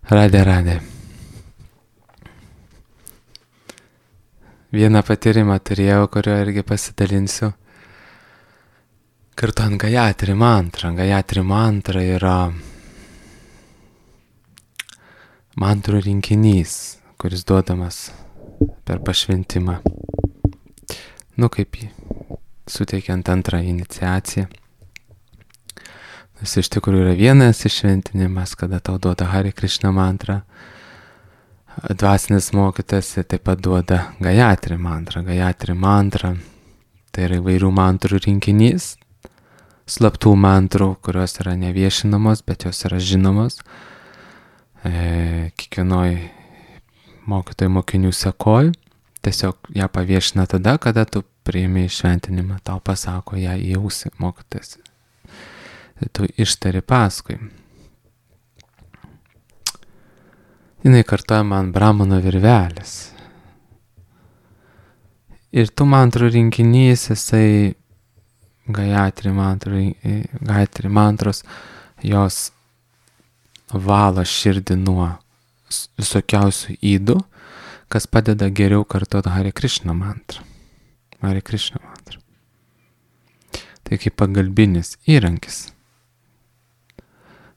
Radė. Vieną patyrimą turėjau, kurio irgi pasidalinsiu. Kartuojant Gayatri mantrą. Gayatri mantra yra mantrų rinkinys, kuris duodamas per pašventimą. Kaip suteikiant antrą iniciaciją. Iš tikrųjų yra vienas iššventinimas, kada tau duoda Hare Krishna mantrą. Dvasinis mokytas taip pat duoda Gayatri mantrą. Gayatri mantra tai yra įvairių mantrų rinkinys, slaptų mantrų, kurios yra neviešinamos, bet jos yra žinomos. Kiekvienoj mokytojų mokinių sekoj tiesiog ją paviešina tada, kada tu priimi šventinimą, tau pasako ją į ausį mokytojas. Tu ištari paskui. Jinai kartuojama ant brahmano virvelės. Ir tų mantrų rinkinys, jisai Gayatri mantros, jos valo širdį nuo visokiausių ydų, kas padeda geriau kartuoti Hare Krishna mantrą. Hare Krishna mantrą. Tai kaip pagalbinis įrankis.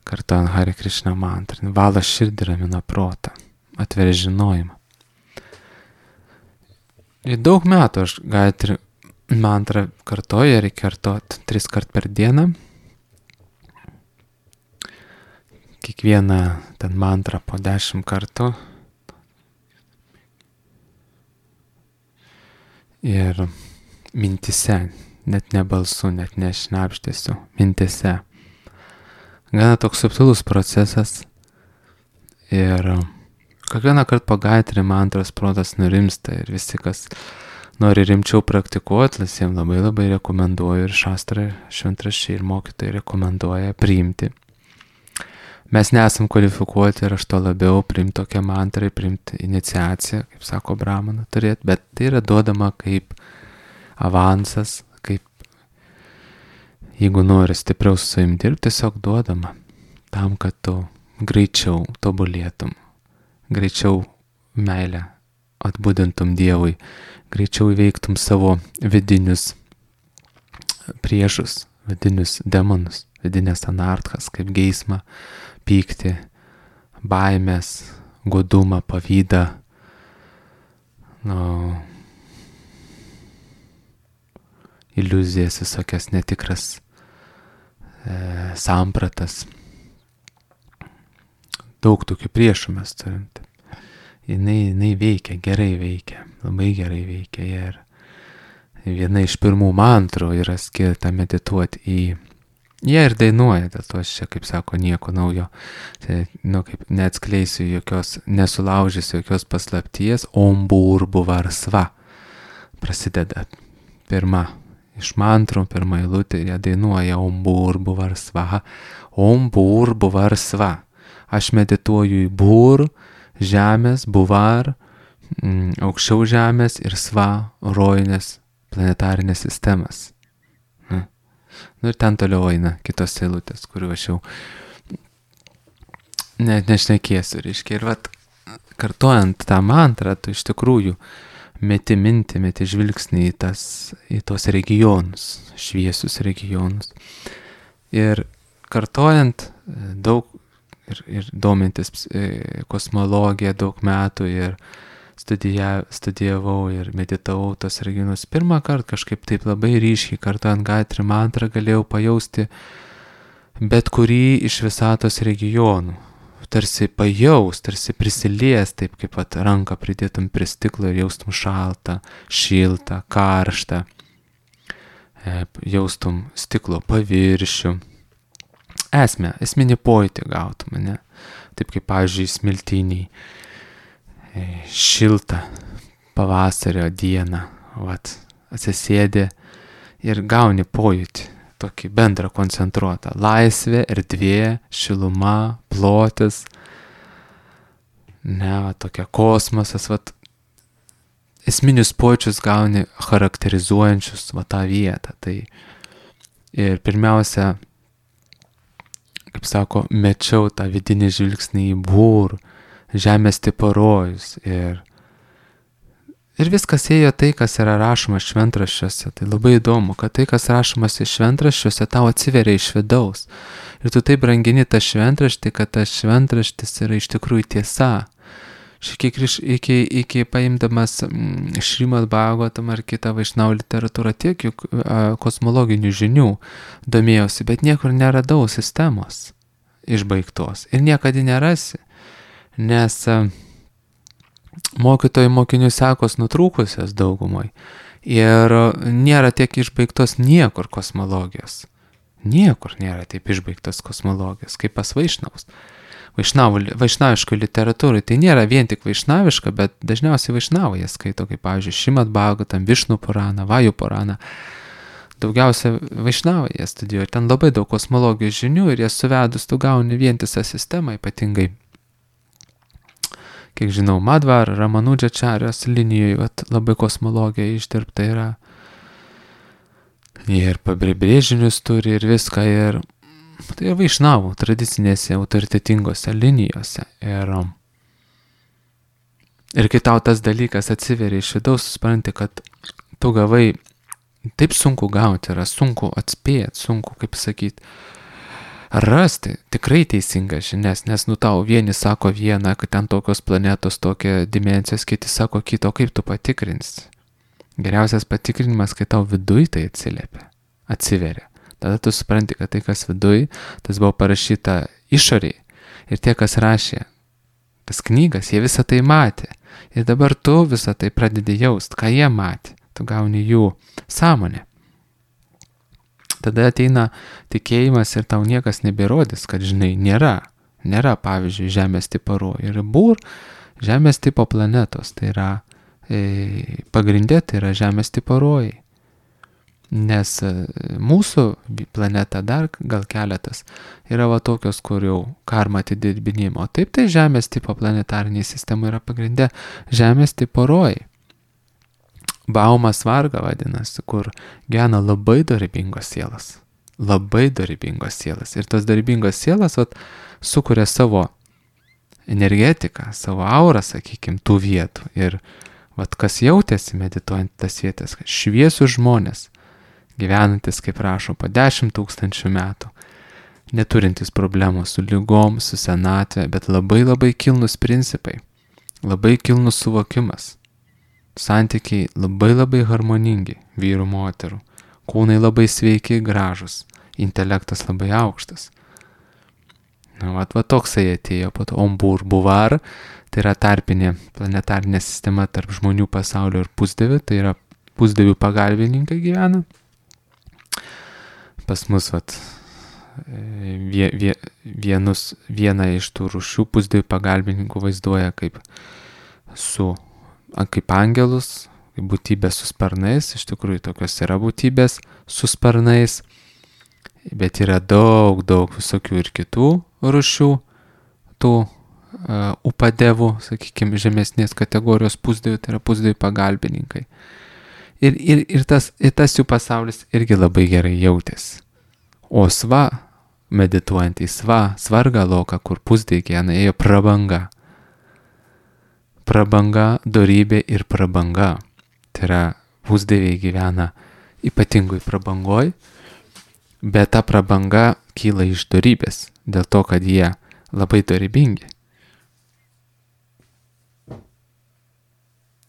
Kartuojant Hare Krishna mantrą. Valo širdį, ramina protą, atveria žinojimą. Ir daug metų aš Gayatri mantrą kartoju, reikia kartoti 3 kart per dieną. Kiekvieną ten mantrą po 10 kartų. Ir mintise, net ne balsu, net ne šnabždesiu, mintise. Gana toks subtilus procesas. Ir kiekvieną kartą po Gayatri mantros protas nurimsta ir visi, kas nori rimčiau praktikuoti, visiems labai rekomenduoju ir šastrai, šventraščiai ir mokytojai rekomenduoja priimti. Mes nesam kvalifikuoti ir aš to labiau priimti tokią mantrą, priimti iniciaciją, kaip sako brahmana turėti, bet tai yra duodama kaip avansas, kaip jeigu nori stipriau su savim dirbti, tiesiog duodama tam, kad tu greičiau tobulėtum, greičiau meilę atbudintum Dievui, greičiau įveiktum savo vidinius priešus, vidinius demonus, vidinės anarchas, kaip geismą, pyktį, baimės, godumą, pavydą, iliuzijas, visokias netikras sampratas. Daug tokių priešų mes turim. Jinai veikia, gerai veikia, labai gerai veikia. Ir viena iš pirmų mantrų yra skirta medituoti į... Jie ir dainuoja, dėl to aš čia, kaip sako, nieko naujo. Kaip neatskleisiu jokios, nesulaužysiu jokios paslapties. Om Bhurbuvarsva prasideda pirma. Iš mantrų, pirmą eilutę, jie dainuoja Om Bhurbuvarsva. Om Bhurbuvarsva. Aš medituoju į Bhur, žemės, Buvar, aukščiau žemės ir Sva, rojinės planetarinės sistemas. Ir ten toliau eina kitos eilutės, kuriuo aš jau nešnekėsiu, reiškia. Ir kartuojant tą mantrą, tu iš tikrųjų meti mintį, meti žvilgsnį į tos regionus, šviesius regionus. Ir kartuojant daug ir domintis kosmologiją daug metų ir studijavau ir meditavau tos regionus. Pirmą kartą kažkaip taip labai ryškiai kartuojant Gayatri mantrą galėjau pajausti bet kurį iš visatos regionų. Tarsi pajaus, tarsi prisilies, taip kaip ranką pridėtum prie stiklo ir jaustum šaltą, šiltą, karštą. Jaustum stiklo paviršių. Esminį pojūtį gautum, ne? Taip kaip, pavyzdžiui, smiltiniai. Šiltą pavasario dieną, atsisėdi ir gauni pojūtį, tokį bendrą koncentruotą. Laisvė, erdvė, šiluma, plotis, tokia kosmosas, esminius pojūčius gauni charakterizuojančius tą vietą. Tai ir pirmiausia, kaip sako, mečiau tą vidinį žvilgsnį į Būr, žemės tipo rojus ir viskas ėjo tai, kas yra rašoma šventraščiuose. Tai labai įdomu, kad tai, kas rašomas iš šventraščiuose, tau atsiveria iš vidaus. Ir tu taip brangini tą šventraštį, kad tas šventraštis yra iš tikrųjų tiesa. Iki paimdamas Šrimad Bhagavatam ar kitą Vaišnavų literatūrą, tiek juk kosmologinių žinių domėjausi, bet niekur neradau sistemos išbaigtos. Ir niekada nerasi, nes mokytojų mokinių sekos nutrūkusios daugumai ir nėra tiek išbaigtos niekur kosmologijos. Niekur nėra taip išbaigtos kosmologijos, kaip pas Vaišnavus. Vaišnaviškoj literatūrai tai nėra vien tik vaišnaviška, bet dažniausiai vaišnavai jie skaito, kaip pavyzdžiui, Šrimad Bhagavatam, Višnu Puraną, Vajų Puraną. Daugiausia vaišnavai jie studijuoja. Ten labai daug kosmologijos žinių ir jie suvedus tu gauni vientisą sistemą, ypatingai, kiek žinau, Madhvar, Ramanudžačarijos linijoje labai kosmologija išdirbta yra. Jie ir pabrėžinius turi ir viską ir tai vaišnavų tradicinėse autoritetingose linijose. Ir kai tau tas dalykas atsiveria iš vidaus, supranti, kad tu gavai, taip sunku gauti, yra sunku atspėti, sunku, kaip sakyti, rasti tikrai teisingas žinias, nes tau vieni sako vieną, kad ten tokios planetos, tokia dimensijos, kiti sako kito, kaip tu patikrinsi. Geriausias patikrinimas, kai tau viduj tai atsiveria. Tada tu supranti, kad tai, kas viduj, tas buvo parašyta išoriai. Ir tie, kas rašė tas knygas, jie visą tai matė. Ir dabar tu visą tai pradedi jaust, ką jie matė. Tu gauni jų sąmonę. Tada ateina tikėjimas ir tau niekas neberodys, kad, žinai, nėra. Nėra, pavyzdžiui, Žemės tipo rojų. Ir Būr Žemės tipo planetos. Tai yra pagrindė, tai yra Žemės tipo rojai. Nes mūsų planeta dar gal keletas yra va tokios, kur jau karma atidirbinimo. Taip, tai Žemės tipo planetariniai sistema yra pagrindė Žemės tipo rojai. Baumas Varga vadinasi, kur gyvena labai dorybingos sielas. Labai dorybingos sielas. Ir tos dorybingos sielas sukuria savo energetiką, savo aurą, sakykime, tų vietų. Ir kas jautėsi medituojant tas vietas, šviesius žmonės, gyvenantis, kaip rašo, po 10 000 metų, neturintis problemų su lygom, su senatvė, bet labai labai kilnus principai, labai kilnus suvokimas, santykiai labai labai harmoningi vyrų, moterų, kūnai labai sveiki, gražus, intelektas labai aukštas. Toksai atėjo po to Ombur Buvar, tai yra tarpinė planetarinė sistema tarp žmonių pasaulio ir pusdievių, tai yra pusdievių pagalbininkai gyvena. Pas mus vieną iš tų rūšių pusdievių pagalbininkų vaizduoja kaip angelus, kaip būtybės su sparnais. Iš tikrųjų tokios yra būtybės su sparnais, bet yra daug visokių ir kitų rūšių, tų upadevų, sakykime, žemesnės kategorijos pusdievių, tai yra pusdievių pagalbininkai. Ir tas jų pasaulis irgi labai gerai jautėsi. O medituojant į svargą loką, kur pusdieviai gyvena, ėjo prabanga. Prabanga, dorybė ir prabanga. Tai yra, pusdieviai gyvena ypatingoj prabangoj, bet ta prabanga kyla iš dorybės, dėl to, kad jie labai dorybingi.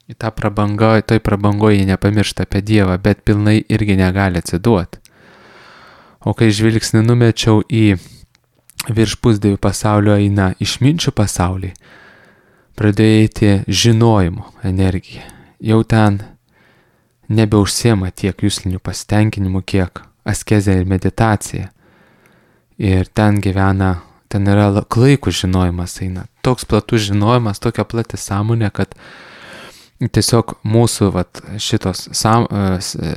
Į tą prabangą, toj prabangoje jie nepamiršta apie Dievą, bet pilnai irgi negali atsiduoti. O kai žvilgsnį numečiau į virš pusdievių pasaulio eina išminčių pasaulį, pradėjo eiti žinojimo energija. Jau ten nebeužsiema tiek juslinių pasitenkinimų, kiek askezė ir meditacija. Ir ten yra klaikus žinojimas eina. Toks platus žinojimas, tokia plati sąmonė, kad tiesiog mūsų šitos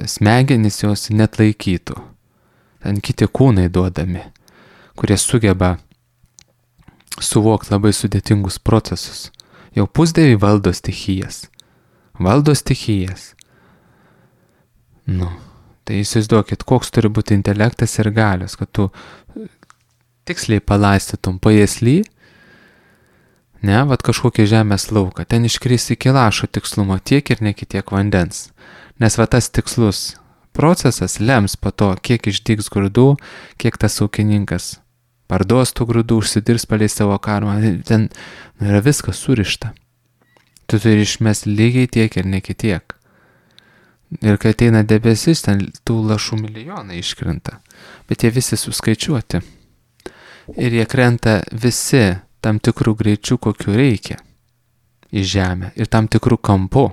smegenys jos net laikytų. Ten kiti kūnai duodami, kurie sugeba suvokti labai sudėtingus procesus. Jau pusdieviai valdo stichijas. Tai įsivaizduokit, koks turi būti intelektas ir galios, kad tu tiksliai palaistytum pajėsly, ne, vat kažkokį žemės lauką, ten iškris iki lašo tikslumo tiek ir ne kitiek vandens. Nes va tas tikslus procesas lems po to, kiek išdygs grūdų, kiek tas ūkininkas parduos tų grūdų, užsidirs palei savo karmą, ten yra viskas surišta. Tu turi išmesti lygiai tiek ir ne kitiek. Ir kai ateina debesis, ten tų lašų milijonai iškrenta, bet jie visi suskaičiuoti. Ir jie krenta visi tam tikrų greičių, kokiu reikia į žemę ir tam tikrų kampų.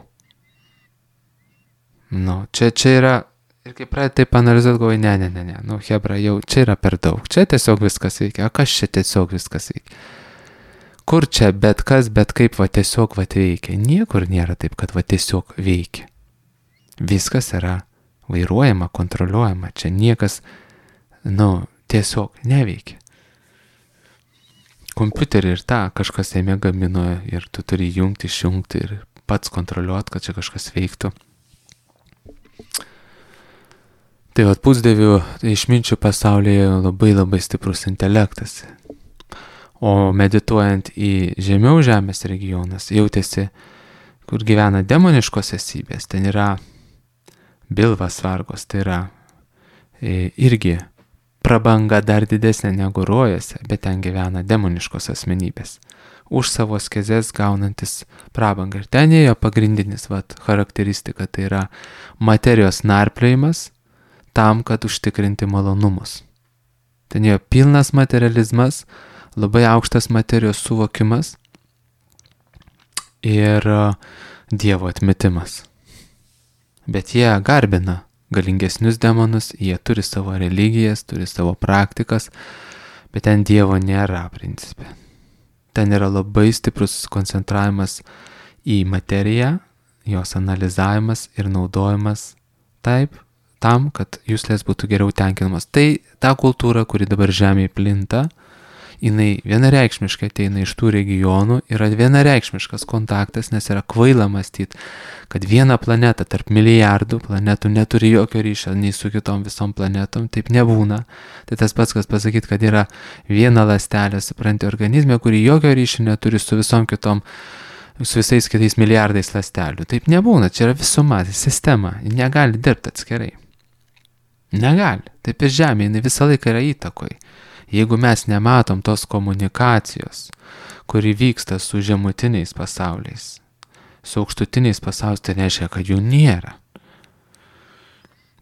Čia yra, ir kai pradėt taip analizuoti, galvoju, ne, hebra, jau čia yra per daug, čia tiesiog viskas veikia, o kas čia tiesiog viskas veikia? Kur čia bet kas, bet kaip va tiesiog va veikia? Niekur nėra taip, kad va tiesiog veikia. Viskas yra vairuojama, kontroliuojama, čia niekas, tiesiog neveikia. Kompiuterį ir tą kažkas jame gamino ir tu turi jungti, išjungti ir pats kontroliuoti, kad čia kažkas veiktų. Tai vat pusdievių išminčių pasaulyje labai stiprus intelektas. O medituojant į žemiau žemės regionas, jautėsi, kur gyvena demoniškos esybės, ten yra bilvas vargos, tai yra irgi prabanga dar didesnė negu rojose, bet ten gyvena demoniškos asmenybės. Už savo askezes gaunantis prabangą. Ir ten ėjo pagrindinis charakteristika, tai yra materijos narpliojimas tam, kad užtikrinti malonumus. Ten ėjo pilnas materializmas, labai aukštas materijos suvokimas ir Dievo atmetimas. Bet jie garbina galingesnius demonus, jie turi savo religijas, turi savo praktikas, bet ten Dievo nėra principe. Ten yra labai stiprus koncentravimas į materiją, jos analizavimas ir naudojimas tam, kad juslės būtų geriau tenkinamos. Tai ta kultūra, kuri dabar žemėje plinta, jinai vienareikšmiškai ateina iš tų regionų, yra vienareikšmiškas kontaktas, nes yra kvaila mąstyti, kad viena planeta tarp milijardų planetų neturi jokio ryšio nei su kitom visom planetom, taip nebūna. Tai tas pats, kas pasakyti, kad yra viena ląstelė, supranti, organizme, kuri jokio ryšio neturi su visom kitom, su visais kitais milijardais ląstelių. Taip nebūna, čia yra visuma, sistema, ji negali dirbti atskirai. Negali. Taip ir Žemė, jinai visą laiką yra įtakoj. Jeigu mes nematom tos komunikacijos, kuri vyksta su žemutiniais pasauliais, su aukštutiniais pasauliais, tai nereiškia, kad jų nėra.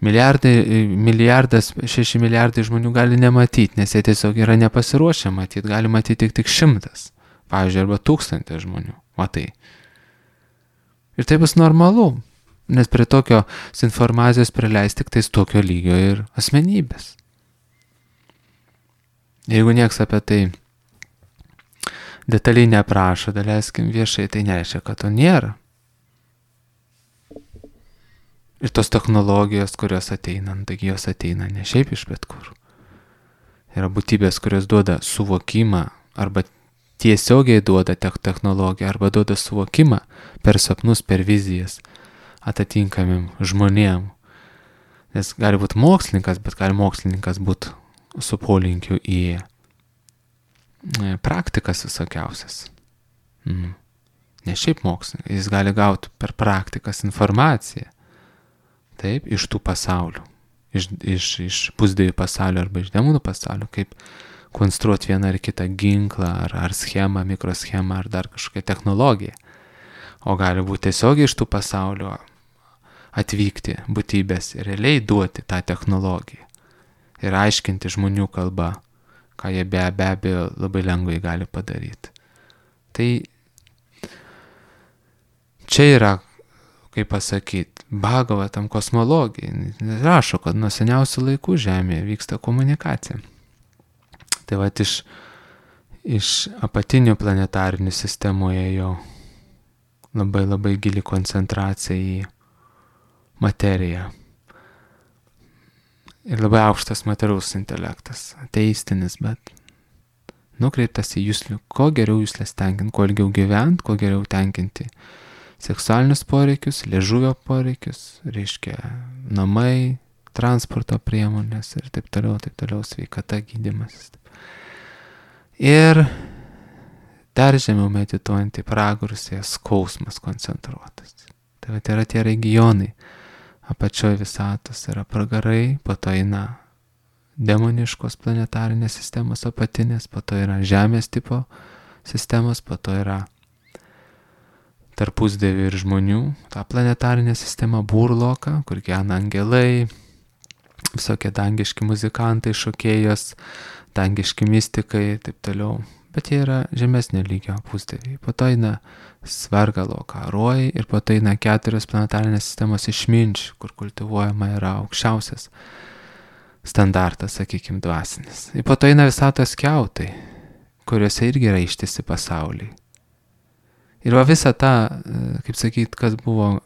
6 milijardai žmonių gali nematyti, nes jie tiesiog yra nepasiruošę matyti, gali matyti tik 100, pavyzdžiui, arba 1000 žmonių. Matai. Ir tai bus normalu, nes prie tokios informacijos prileis tik tais tokio lygio ir asmenybės. Jeigu nieks apie tai detaliai neprašo, daleiskim viešai, tai nereiškia, kad to nėra. Ir tos technologijos, kurios ateina, taigi jos ateina ne šiaip iš bet kur. Yra būtybės, kurios duoda suvokimą, arba tiesiogiai duoda technologiją, arba duoda suvokimą per sapnus, per vizijas atitinkamim žmonėm. Nes gali būti mokslininkas, bet gali mokslininkas būti su polinkiu į praktikas visokiausias. Ne šiaip mokslininkas, jis gali gauti per praktikas informaciją. Taip, iš tų pasaulių. Iš pusdievių pasaulio arba iš demonų pasaulio, kaip konstruoti vieną ar kitą ginklą, ar schemą, mikroschemą, ar dar kažkokią technologiją. O gali būti tiesiog iš tų pasaulio atvykti būtybės ir realiai duoti tą technologiją. Ir aiškinti žmonių kalbą, ką jie be abejo labai lengvai gali padaryti. Tai čia yra, kaip pasakyti, Bhagavatam kosmologija. Rašo, kad nuo seniausių laikų Žemėje vyksta komunikacija. Tai va iš apatinių planetarinių sistemoje jo labai gili koncentracija į materiją. Ir labai aukštas materialus intelektas, ateistinis, bet nukreiptas į juslių, kuo geriau juslės tenkinti, kuo ilgiau gyventi, kuo geriau tenkinti seksualinius poreikius, liežuvio poreikius, reiškia namai, transporto priemonės ir taip toliau, sveikata, gydymas. Ir dar žemiau medituojant į pragarus, skausmas koncentruotas. Tai yra tie regionai. Apačioje visatos yra pragarai, po to eina demoniškos planetarinės sistemos apatinės, po to yra žemės tipo sistemos, po to yra tarp pusdievių ir žmonių, ta planetarinė sistema burloka, kur gyvena angelai, visokie dangiški muzikantai, šokėjos, dangiški mystikai, taip toliau. Bet jie yra žemesnio lygio pusdieviai. Po to eina svargaloka, rojai ir po to eina 4 planetarinės sistemos išminčių, kur kultivuojama yra aukščiausias standartas, sakykime, dvasinis. Ir po to eina visatos kiautai, kuriuose irgi yra ištisi pasauliai. Ir va visa ta, kaip sakyt, kas buvo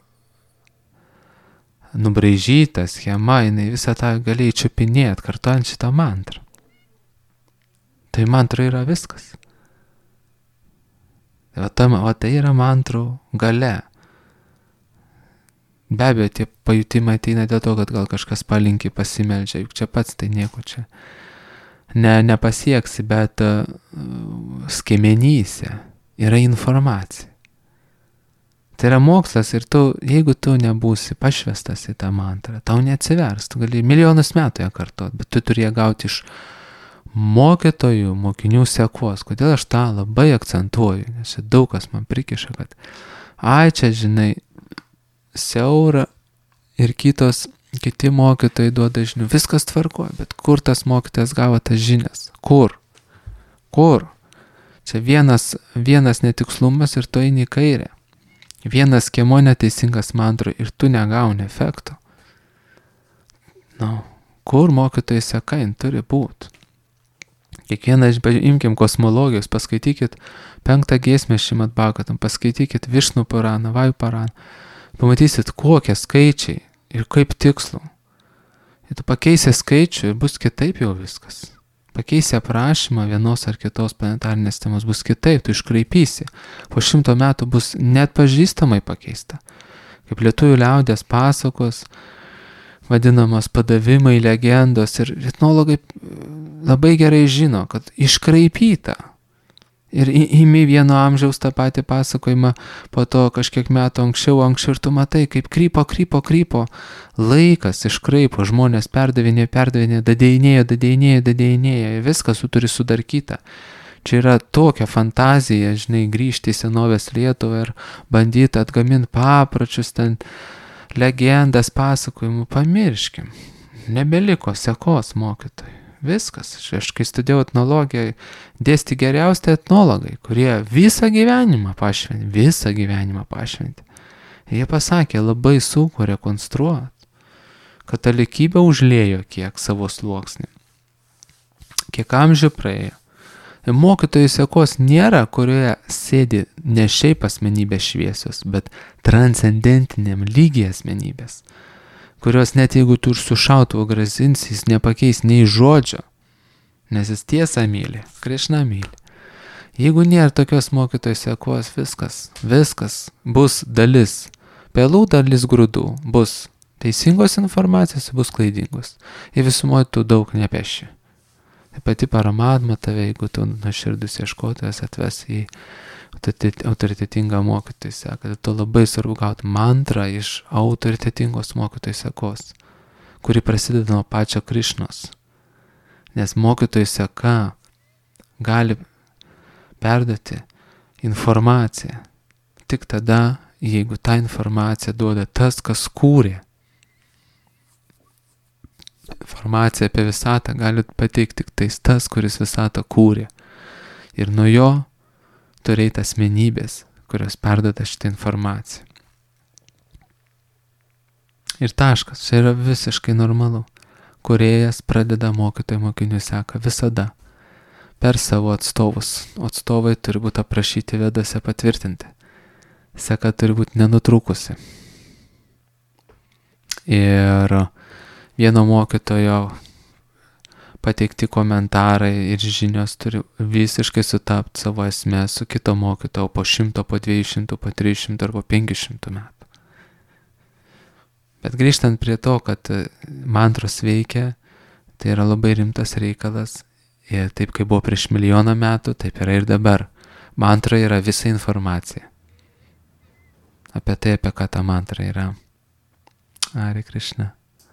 nubraižyta schema, jinai visą tą galėjai čiupinėti, kartuojant šitą mantrą. Tai mantra yra viskas. O tai yra mantrų gale. Be abejo, tie pajutimai ateina dėl to, kad gal kažkas palinki, pasimeldžia, juk čia pats tai nieko čia nepasieksi, bet skiemenyse yra informacija. Tai yra mokslas ir jeigu tu nebūsi pašvestas į tą mantrą, tau neatsivers, tu gali milijonus metų ją kartot, bet tu turi ją gauti iš mokytojų, mokinių sekos. Kodėl aš tą labai akcentuoju, nes čia daug kas man prikiša, kad čia, žinai, siaura ir kiti mokytojai duoda žinių, viskas tvarkoja, bet kur tas mokytojas gavo tas žinias? Kur? Čia vienas netikslumas ir tu eini į kairę. Vienas skiemuo neteisingas mantrui ir tu negauni efekto. Kur mokytojai seka, jin turi būti. Kiekvieną, imkim kosmologijos, paskaitykit 5 giesmę Šrimad Bhagavatam, paskaitykit Višnu Puraną, Vaju Puraną, pamatysit, kokie skaičiai ir kaip tikslu. Ir tu pakeisi skaičių ir bus kitaip jau viskas. Pakeisi aprašymą vienos ar kitos planetarinės temos, bus kitaip, tu iškraipysi. Po 100 metų bus net pažįstamai pakeista. Kaip lietuvių liaudės pasakos, vadinamos padavimai, legendos ir etnologai labai gerai žino, kad iškraipyta. Ir imi vieno amžiaus tą patį pasakojimą, po to kažkiek metų anksčiau ir tu matai, kaip krypo, laikas iškraipo, žmonės perdavinė, dadėjinėjo, viskas turi sudarkyta. Čia yra tokia fantazija, žinai, grįžti į senovės Lietuvą ir bandyti atgaminti papročius, ten legendas, pasakojimų, pamirškim. Nebeliko sekos mokytojų. Viskas. Aš kai studijau etnologiją, dėsti geriausi etnologai, kurie visą gyvenimą pašventė. Jie pasakė, labai sunku rekonstruoti. Katalikybė užliejo kiek savo sluoksnį. Kiek amžių praėjo. Mokytojų sekos nėra, kurioje sėdi ne šiaip asmenybės šviesios, bet transcendentiniam lygiai asmenybės, kurios net jeigu tu ir su šautuvu grazinsi, jis nepakeis nei žodžio, nes jis tiesą myli, Krišną myli. Jeigu nėra tokios mokytojų sekos, viskas bus dalis, pelų dalis grūdų, bus teisingos informacijos, bus klaidingos. Ir visumoje tu daug nepeši. Tai pati Paramatma tave, jeigu tu nuoširdus ieškotojas, atves į autoritetingą mokytojų seką. Tai tu labai svarbu gauti mantrą iš autoritetingos mokytojų sekos, kuri prasideda nuo pačio Krišnos. Nes mokytojų seka gali perduoti informaciją tik tada, jeigu tą informaciją duoda tas, kas kūrė. Informaciją apie visatą gali pateikti tik tas, kuris visatą kūrė. Ir nuo jo turėti asmenybės, kurios perduoda šitą informaciją. Ir taškas, čia yra visiškai normalu. Kūrėjas pradeda mokytojų mokinių seką visada per savo atstovus. Atstovai turi būti aprašyti vedose, patvirtinti. Seka turi būti nenutrūkusi. Ir vieno mokytojo pateikti komentarai ir žinios turi visiškai sutapti savo esmę su kito mokytojo po 100, po 200, po 300 ar po 500 metų. Bet grįžtant prie to, kad mantros veikia, tai yra labai rimtas reikalas Ir taip, kaip buvo prieš milijoną metų, taip yra ir dabar. Mantra yra visa informacija. Apie tai, apie ką ta mantra yra. Hare Krishna.